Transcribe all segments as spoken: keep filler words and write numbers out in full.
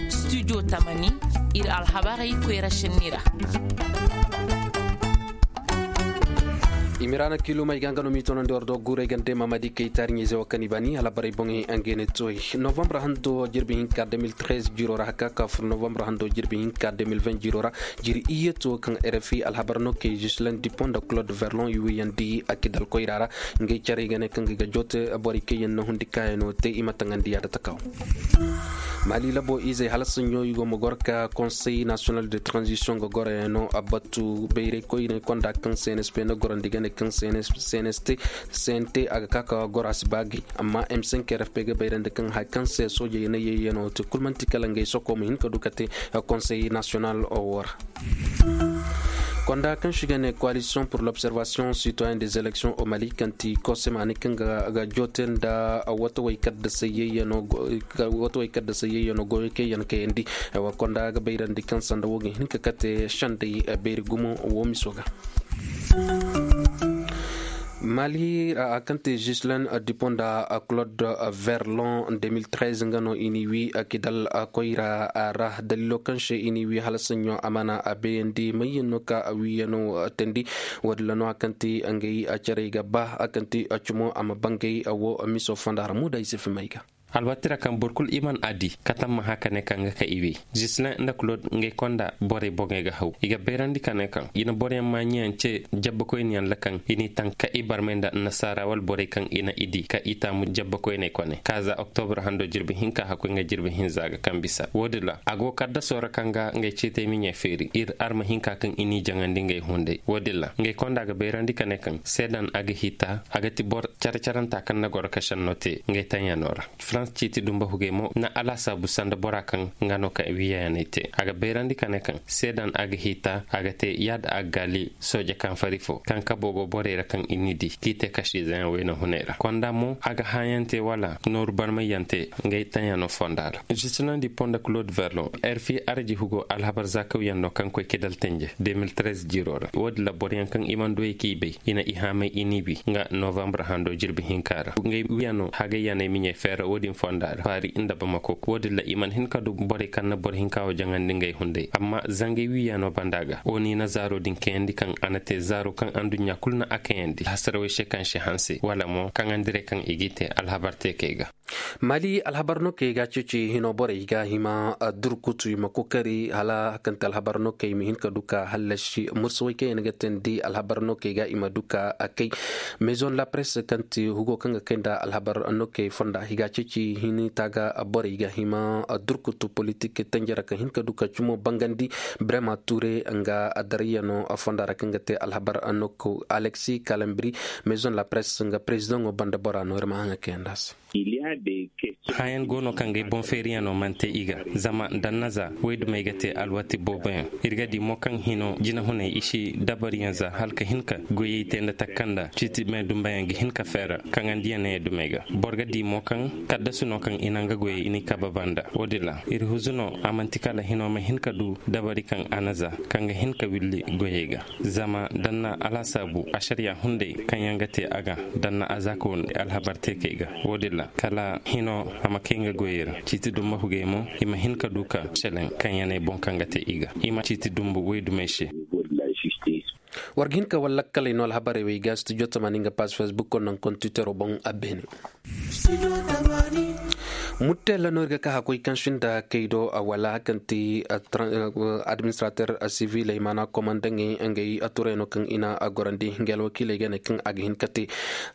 Studio tamani, ir alhabarey koyra shinni ra. Imiraana kiilumey ga nga no m'i tonandi war do guurey gande mamadi kay taariɲey ze wo kaŋ i bani alhabarey boŋey. Nga ne toy novambre hando jirbi hinka deux mille treize jiro ra haka ka fur novambre hando jirbi hinka deux mille vingt jiro ra. Jiri iyye to kaŋ rfi alhabar no kay juslen dupont da claude verlon i wiyandi a kidal koyra ra. Ngey carey ga ne kaŋ ga joote borey kaŋ yaŋ na hundi kaayano te i ma taŋandi yaada takaw. Mali labo izey hala saɲɲo i go ma goro ka conseil national de transition ga goroyaŋ no a batu bayray koyney konda kaŋ cnsp na gorandi ga ne kaŋ cnst cnt a ga ka ka goro a si ba gay. Amma m cinq rfp ga bayrandi kaŋ hay kaŋ se soojey na yeyyano te kul manti kala ngey soko ma hin ka du ka te conseil national wo ra. Konda kaŋ si ga ne coalition pour l'observation citoyen des élections au mali kaŋ ti kosemaani kaŋ ga joote nda wato way kadda sayyayyano goyo kayyan kayandi. Wa konda ga bayrandi kaŋ sanda wo ga hin ka kate shandey bayri gumo wo miso ga. Mali a kaŋ te juslen dupont nda claude verlon deux mille treize nga no i n'i wi kidal koyra ra dalilo kaŋ se i n'i wi hala saɲɲo a mana a bayandi mayyaŋ no ka a wiyano teendi. Wo-din ra no a kaŋ te ngey carey ga ba a kaŋ te cumo a ma bangay wo miso fonda ra muuda i si fimay ga. Alwaati ra kaŋ boro kulu i man a di katamma hã ka ne kaŋ ga ka i wey. Juslen nda claude ngey konda borey boŋey ga haw i ga bayrandi ka ne kaŋ i na boroyaŋ maaɲiyaŋ ce jabbakoyniyaŋ ra kaŋ i n'i taŋ ka i barmay nda annasaara wala borey kaŋ i na i di ka i taamu jabbakoyney kone ka za oktobre hando jirbi hinka hakkoy nga jirbi hinza ga kaŋ bisa wo-din ra a go kaddaso ra kaŋ ga ngey ceetey miɲey feeri ir arma hinka kaŋ i n'i jaŋandi ngey hunday wo-din ra ngey konda ga bayrandi ka ne kaŋ seedan a ga hita a ga ti boro care-caranta kaŋ na goro ka šenno te ngey taɲyaano ra. Farans ciiti dumba hugey mo na alaasaabu sanda bora kaŋ nga no ka wiyayaney te a ga bayrandi ka ne kaŋ seedan a ga hiita a ga te yaada a ga gaali sooje kaŋ fari fo kaŋ kabo go borey ra kaŋ i n'i di k'i te kasiizeyaŋ wayna hunay ra konda mo a ga hãayante wala nooru barmayante ngey taɲyaano fonda ra. Žisnandi ponda claude verlon, rfi araji hugo alhabar zaakawyaŋ no kaŋ koy kidal tenje deux mille treize jiro ra wo-din ra boroyaŋ kaŋ i mana duwey k'i bay i na i haamay i n'i wi nga novambre hando jirbi hinka ra ngey wiyaŋo hagayyaney miɲey feera wo-din fonda ra paari nda bamako wo-din ra i mana hin ka du borey kaŋ na boro hinka wo jaŋandi ngey hunday amma zangey wiyaŋo banda ga wo n'i na zaaro din kayandi kaŋ a na te zaaro kaŋ anduɲɲa kulu na a kayandi hasarawey se kaŋ se hanse wala mo kaŋandirey kaŋ i g'i te alhabar teekey ga. Mali alhabar no kay ga ceeci hino borey ga hima durkutu i ma kokari hala kante alhabar no kay ma hin ka du ka hallasi mursawey kaŋ yaŋ ga teendi alhabar no kay ga i ma du ka kay. Maison la presse kaŋ ti hugo kaŋ ga kay nda alhabar no kay fonda i ga ceeci hini taaga borey ga hima durkutu politik tanjara kaŋ hin ka du ka cumo bangandi brema ture nga darayano fonda ra kaŋ ga te alhabar no kay alexi kalambri. Maison la presse nga prezidaŋo banda bora no ir ma haŋa kayanda se. Hayan go no kaŋ ga ay boŋ feeriyaŋo mana te i ga zama dannaza waydumey ga te alwati booboyaŋ. Ir ga di mo kaŋ hino jinahuney i si dabariyaŋ za hala ka hin ka goyey te nda takanda ciiti me dumbayaŋ ga hin ka feera kaŋandiyaŋ ne dumey ga. Boro ga di mo kaŋ kaddasu no kaŋ i na nga goyey i n'i kabe banda wo-din ra ir huzu no a manti kala hino ma hin ka du dabari kaŋ a na za kaŋ ga hin ka willi goyey ga. Zama danna alasaabu ašariya hunday kaŋ yaŋ ga te a ga danna azaaka wande alhabar teekey ga wo-din ra kala hino a ma kay nga goyey ra ciiti dumbu hugey mo i ma hin ka du ka seleŋ kaŋ yaŋ ay boŋ kaŋ ga te i ga i ma ciiti dumbu waydumey se. War ga hin ka wala lakkaley no alhabarey wey ga studio tamaani nga paas facebook ko naŋ kontitero boŋ a beene. Mutella no ir ga ka hakoy kaŋ sinda kay do a wala kaŋ ti administrater siviley maana komandaŋey ngey a turayno kaŋ i na a gorandi ngey alwakiiley ga ne kaŋ a ga hin ka te.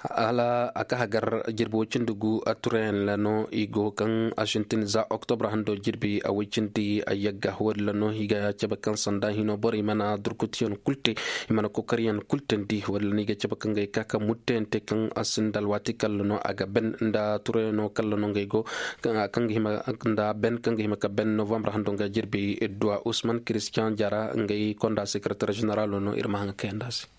Hala a ka hagar jirbi woy cindi gu a turayaŋ ra no i go kaŋ a sintin za oktobre hando jirbi a woy cindi a yagga wo-din ra no i ga cabe kaŋ sanda hino borey mana durkutiyaŋ kul te i mana kokariyaŋ kul teendi wo-din ra no i ga cabe kaŋ ga ay ka ka mutteyaŋ te kaŋ a sinda alwaati kalla no a ga ben nda turayano kalla no ngey go kaŋ ga hima nda ben kaŋ ga hima ka ben novambre hando nga jirbi idduwa usman christian jara ngey konda sekretar generalo no ir ma haŋa kayanda se.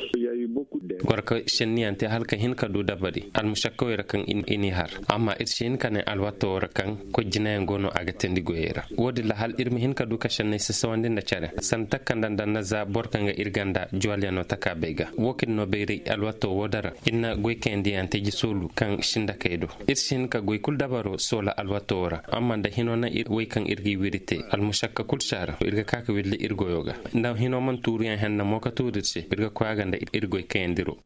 Gorka senniyaŋ te hala ka hin ka du dabari almušakkawey ra kaŋ i n'i har. Amma ir si hin ka ne alwatto wo ra kaŋ koy jinayaŋ go no a ga teendi goyey ra. Wo-din ra hala ir ma hin ka du ka senney sasawandi nda care sanda takanda nda na za boro kaŋ ga ir ganda juwalyaŋo taka bay ga wo kaŋ no bayray alwatto wo dara ir na goy kayandiyaŋ te jisoolu kaŋ sinda kay do. Ir si hin ka goy kulu dabaro soola alwatto wo ra amma nda hino na ir wey kaŋ ir ga i wiri te almušakka kulu si a ra ir ga ka ka willi ir goyo ga. Nda hino mana tuuruyaŋ henna mo ka tuuru ir se ir ga koy a ga nda ir goy kayandiro.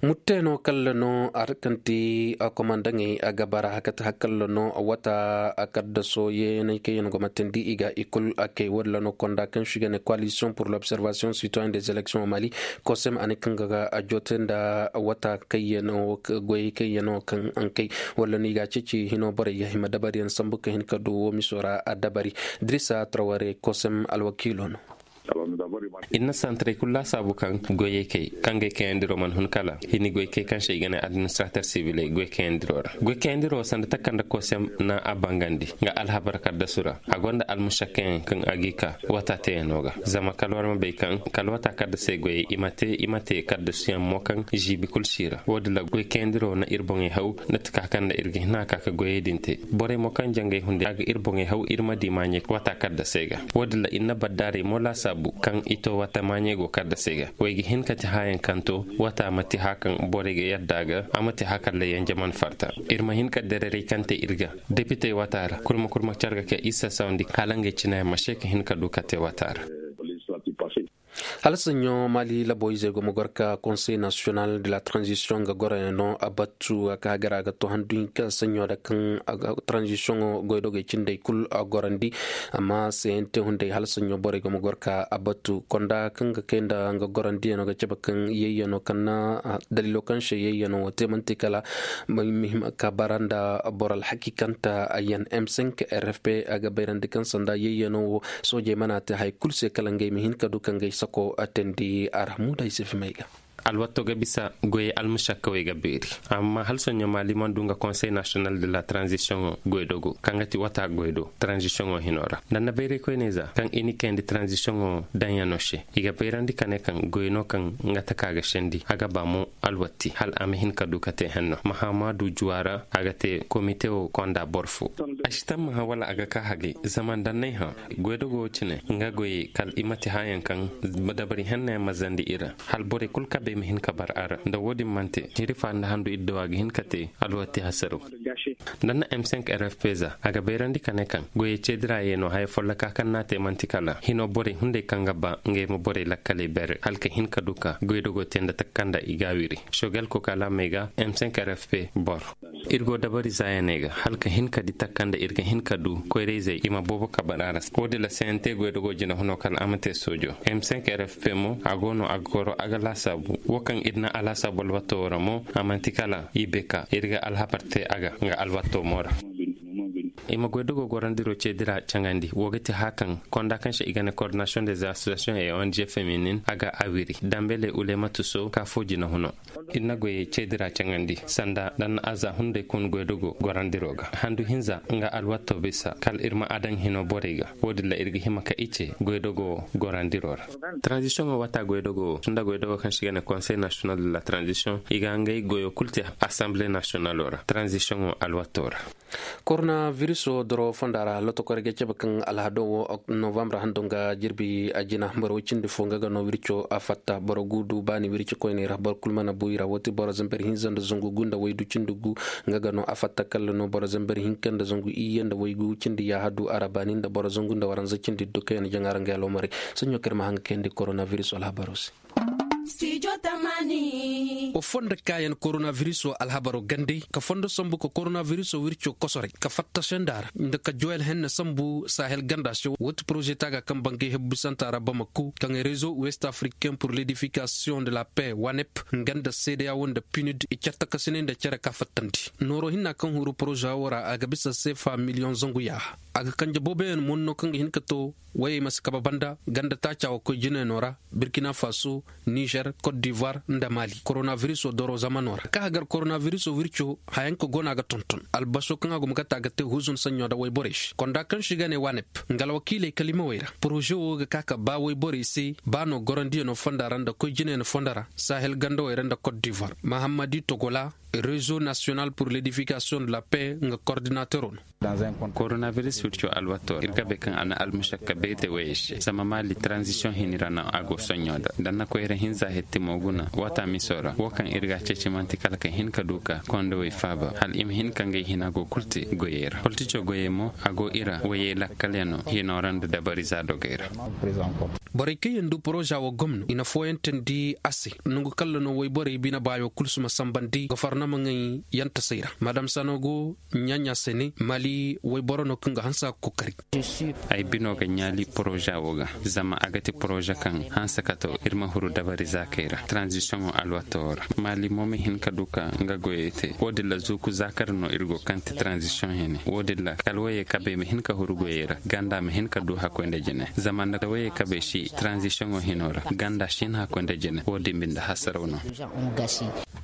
Mutteeno kalla no a ra kaŋ ti komandaŋey a ga bara hakati hakalla no wata a kaddaso yeeney kaŋ yaŋ go ma teendi i ga i kulu a kay walla no konda kaŋ si ga ne koalisiyoŋ pur lobservasiyoŋ sitoyen des elekisiyoŋ mali. Kosem a ne kaŋ ga a joote nda wata kaŋ yaŋ no goyey kaŋ yaŋ no kaŋ a kay walla no i ga a ceeci hino borey ga hima dabariyaŋ sambu ka hin ka du wo miso ra a dabari. Dirisa traware kosem alwakiilo no. Ir na santaray kulu laasaabu kaŋ goyey kay kaŋ ga ay kayandiro mana hun kala hini goy kay kaŋ se i ga ne administrater sibiley goy kayandiro ra goy kayandiro sanda takanda kosem na a bangandi. Nga alhabar kaddasu ra a gonda almušakkayaŋ kaŋ a g'i ka wata teeyano ga zama kala war ma bay kaŋ kala wata kaddasey goyey i ma te i ma te kaddasuyaŋ mo kaŋ žiibi kulu si ra wo-din ra goy kayandiro na ir boŋey haw na ti ka kaŋ nda ir ga hin a ka ka goyey din te. Borey mo kaŋ jangay hunday a ga ir boŋey haw ir ma di maaɲey wata kaddasey ga. Wo-din ra ir na baddaaray mo laasaabu kaŋ i to wata maaɲey go kaddasey ga. Wey ga hin ka ti haayaŋ kaŋ to wata ma ti haa kaŋ borey ga yadda a ga a ma ti haa kaŋ ra yanjaman farta. Ir ma hin ka dareeray kaŋ te ir ga depitey wata ra kurma kurma care ga ka isa sawandi hala ngey cinayaŋ ma se ka hin ka du ka te wata ra. Hala saɲɲo mali labo izey go ma goro ka konsey nasiyonal de la tranzisiyoŋ ga goroyaŋ no a battu a ka hagara ga to handu hinka saɲɲo da kaŋ tranzisiyoŋo goydogey cindey kulu a gorandi. Amma seyante hunday hala saɲɲo borey go ma goro ka a battu konda kaŋ ga kay nda nga gorandiyaŋo ga cabe kaŋ yayyaŋo kaŋ na daliilo kaŋ se yayyaŋo wo te manti kala muhim ka bara nda boro alhakikanta ayyan m cinq rfp a ga bayrandi kaŋ sanda yayyaŋo wo soojey mana te hay kulu se kala ngey ma hin ka du ka ngey sako a teendi a ra muda ay se fimey ga. Alwatto ga bisa goyey almusakkawey ga beeri. Amma hala soɲo maali mana du nga konsey nasiyonal de la tranzisiyoŋo goydogo kaŋ ga ti wata goydo tranzisiyoŋo hino ra nda na bayray koyney za kaŋ i ni kayandi tranzisiyoŋo daŋyaŋo se i ga bayrandi ka ne kaŋ goy no kaŋ nga taka ga sendi a ga ba mo alwatti hala a ma hin ka du ka te henno mahamadu juwa ra a ga te komite wo konda boro fo. A si tammaha wala a ga ka hagay zama nda n'ay hã goydogo wo cine nga goyey kala i ma te hãyaŋ kaŋ dabari hennayaŋ ma zandi i ra hala borey kulu kabey ma hin ka bar a ra nda wo-din mana te hirifa nda handu iddawa ga hin ka te alwatti hasaro. Nda na m cinq rfp za a ga bayrandi ka ne kaŋ goyey ceedira ye no haya folloka kaŋ n'a te manti kala hino borey hunday kaŋ ga ba ngey ma borey lakkaley bere hala ka hin ka du ka goydogo te nda taka kaŋ nda i ga a wiri. Shogel kokalamey ga m cinq rfp boro ir go dabari zaayaney ga hala ka hin ka di taka kaŋ nda ir ga hin ka du koyrayzey i ma boobo ka bar a ra se wo-din ra cnt goydogo jinahuno kala a ma te soojo m cinq rfp mo a go no a ga goro a ga laasaabu wo kaŋ ir na a laasaabu alwatto wo ra mo a manti kala i beka ir ga alhabar te a ga nga alwatto mo ra. I ma goydogo gorandiro ceedira caŋandi wo ga ti haya kaŋ konda kaŋ se i ga ne koordinasiyoŋ des asosiyasiyoŋ e ong feminin a ga a wiri dambele ulematu so ka fo jinahuno. Ir na goyey ceedira caŋandi sanda nda na aza hunday kun goydogo gorandiro ga handu hinza nga alwatto bisa kala ir ma a daŋ hino borey ga wo-din ra ir ga hima ka ice goydogo wo gorandiro ra. Tranzisiyoŋo wata goydogo wo tun nda goydogo kaŋ se i ga ne konsey nasiyonal de la tranzisiyoŋ i ga ngey goyo kulu te asanble nasiyonalo ra tranzisiyoŋo alwatto ra. Korona viriso doro fonda ra lotokorey ga cabe kaŋ alhado wo novambre hando nga jirbi a jina boro way cindi fo nga ga no wirco a fatta boro guudu baani wirci koyney ra boro kulu mana buy ra wo ti boro zamber hinza nda zangu gu nda waydu cindi gu. Nga ga no a fatta kalla no boro zamber hinka nda zangu iyye nda waygu cindi yaahadu arabani nda boro zangu nda waranza cindi duka yaŋ jaŋa ra nga aloomarey. Saɲɲo kaŋ ir ma haŋ ga kayandi korona viriso alhabaro se. Wa fondo kaayaŋ koronabiriso alhabaro gandey ka fondo sambu ka koronabiriso wirco kosoray ka fattase nda a ra nda ka joyal henne sambu sahel ganda se wo ti poroze taaga kaŋ bangay hebbisanta ra bamako kaŋ rezo west africain pur ledifikasion de la paix wanep nga nda seedeya wo nda pinud i cartakasinay nda cere ka fattandi nooro hinna kaŋ huru poroze wo ra a ga bisa sefa miliyoŋ zangu yaaha. A ga kanje booboyaŋ monno kaŋ ga hin ka to wayey ma si kabe banda ganda taaca wa koy jinayno ra, burkina faso, nizer, cote d'ivoire nda mali. Koronabirus Koronavirisoo doro zamanoo ra ka hagar koronavirisoo wircoo hayanka go no a ga tonton albaso kaŋ a guma ga te a ga te huzun saɲɲo nda wayborey se konda kaŋ se i ga ne wanep nga alwakiiley kalimawey ra poroze wo ga ka ka ba wayborey se ba no gorandiyanoo fonda ra nda koy jinayanoo fonda ra sahel gandawey ra nda kot divoir mahammadi togola rezo nasiyonal pur ledifikasiyoŋ de la pe nga kordinateroo no. Koronaviris wirco alwato ir ga bay kaŋ a na almušakka bay te wayey se zama maali taranzisiyoŋ hini ra no a go soɲɲo nda danna koyra hinza hetti mo guna waata miso ra wo kaŋ ir ga a ceeci man'ti kala ka hin ka du ka kondowey faaba hala i ma hin ka ngey hina go kul te goyey ra politico goyey mo a go ira wayey lakkalyanoo hinoo ra nda dabariza dogey ra. Borey kaŋ yaŋ du poroza wo gomno i na fooyantandi a se nangu kalla no wayborey bine baayo kul si ma sambandi gofornamaŋey yantasey ra madam sanogo ɲaaɲa se ne mali wayboro no kaŋ ga hanse a ga kookari. Ay bino ga ɲaali poroza wo ga zama a ga ti poroza kaŋ hanse kato ir ma huru dabari zaakey ra taranzisiyoŋo alwato wo ra mali mo ma hin ka du ka nga goyey te wo-din ra zuuku zaakar no ir go kaŋ ti taranzisiyoŋ hene wo-din ra kala wayey kabey ma hin ka huru goyey ra ganda ma hin ka du hakkoy nda jine zama nda wayey kabey si taranzisiyoŋo hino ra ganda si hin hakkoy nda jine wo-din binde hasaraw no.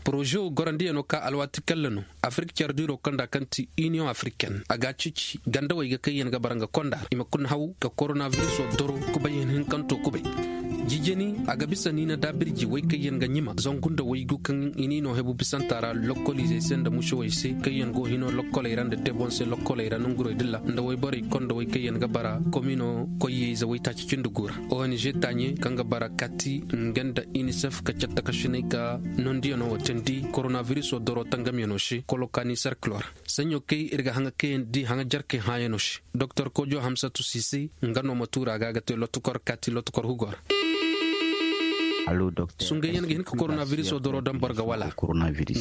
Poroze wo gorandiyanoo ka alwaati kalla no afirik care diiroo kaŋ nda kaŋ ti iniyoŋ afiriken a ga a ceeci gandawey ga kaŋ yaŋ ga bara nga konda ra i ma kuna haw ka koronavirisoo doro kubay hinhinkantoo kubay. Jijani a ga bisa niina daabirji way kaŋ yaŋ ga ɲima zangu nda waygu kaŋ i n'i no hebu bisanta ra lokkoliizey se nda musewey se kaŋ yaŋ go hino lokkoley ra nda tebonse lokkoley ra nongurey dilla nda wayborey konda way kaŋ yaŋ ga bara komino koyye-ize waytaaci cindi gu ra ong taaɲe kaŋ ga bara kati nga nda inisef ka cattakasiney ka nondiyanoo wo teendi koronavirisoo doro tangamyanoo se kolokani serkiloo ra. Saɲɲo kay ir ga haŋa kayandi haŋa jarkey hãayanoo se doktor kojo hamsatu sise nga no ma tuura ga a ga te lotukor kaati lotukor hugoo ra. Sungayyaŋ ga hin ka koronavirisoo doro daŋ boro ga wala?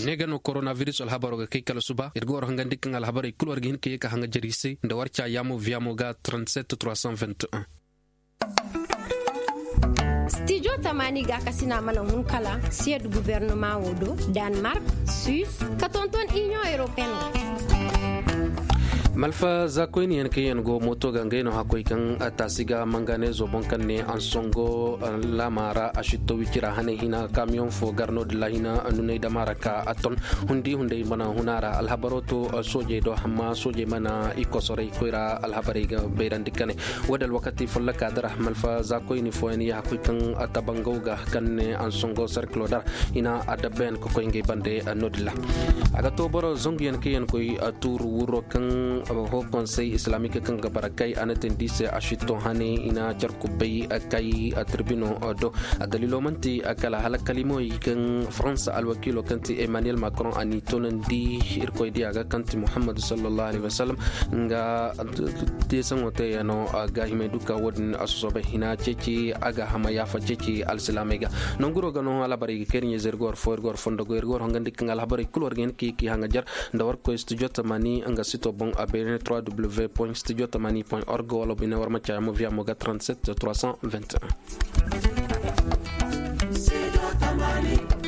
Ne ga no koronaviris alhabaroo ga kay kala suba ir ga war hangandi kaŋ alhabarey kul war ga hin ka ye ka haŋa jari se nda war caa yaamo viyaamo ga trente-sept trois cent vingt et un. Stijo tamaani gaakasina mana hun kala siyed guvernama wo do, danmark, suis, ka tonton iniyoŋ europeen ga. Malfa zaakoyniyaŋ kaŋ yaŋ go mooto ga ngey no hakkoy kaŋ taasi ga manganeezo boŋ kaŋ ne ansongo laama ra a sitto wicira hanay hina kamiyoŋ fo gar no-din ra hina nunay dama ra ka a ton hundi hunday mana huna ra alhabaroo to soojey do hamma soojey mana i kosoray koyra alhabarey ga bayrandi kane. Wo-din alwakati folloka dara malfa zaakoyni fooyaŋ ya hakoy kaŋ tabangaw ga kaŋ ne ansongo serkilo dara i na adabbayaŋ ka koy ngey bande no-din ra. A ga to boro zanguyaŋ kaŋ yaŋ koy tuuru wuroo kaŋ ho konsey islamik kaŋ ga bara kay a na teendi se a sitto hane i na car kubbay kay tirbino do. Daliilo man'ti kala hala kalimawey kaŋ faransa alwakiiloo kaŋ ti emmanuel macron a n'i toonandi irkoy diya ga kaŋ ti muhammadu sallallahu alaihi wasallam nga deesaŋo teeyaŋo gaahimey duka wo-din a sosobay hina ceeci a ga hama yaafa ceeci alsilaamey ga. Nonguroo ga no alhabarey ga kay ir ɲayze ir ga war fo ir ga war fondo goy ir ga war hongandi kaŋ alhabarey kul war ga hin ka i k'i haŋajar nda war koy studio tamani nga sito boŋ a beene trois w point studio tamani point org wala bine war ma caya mo viya mo ga trente-sept trois cent vingt et un.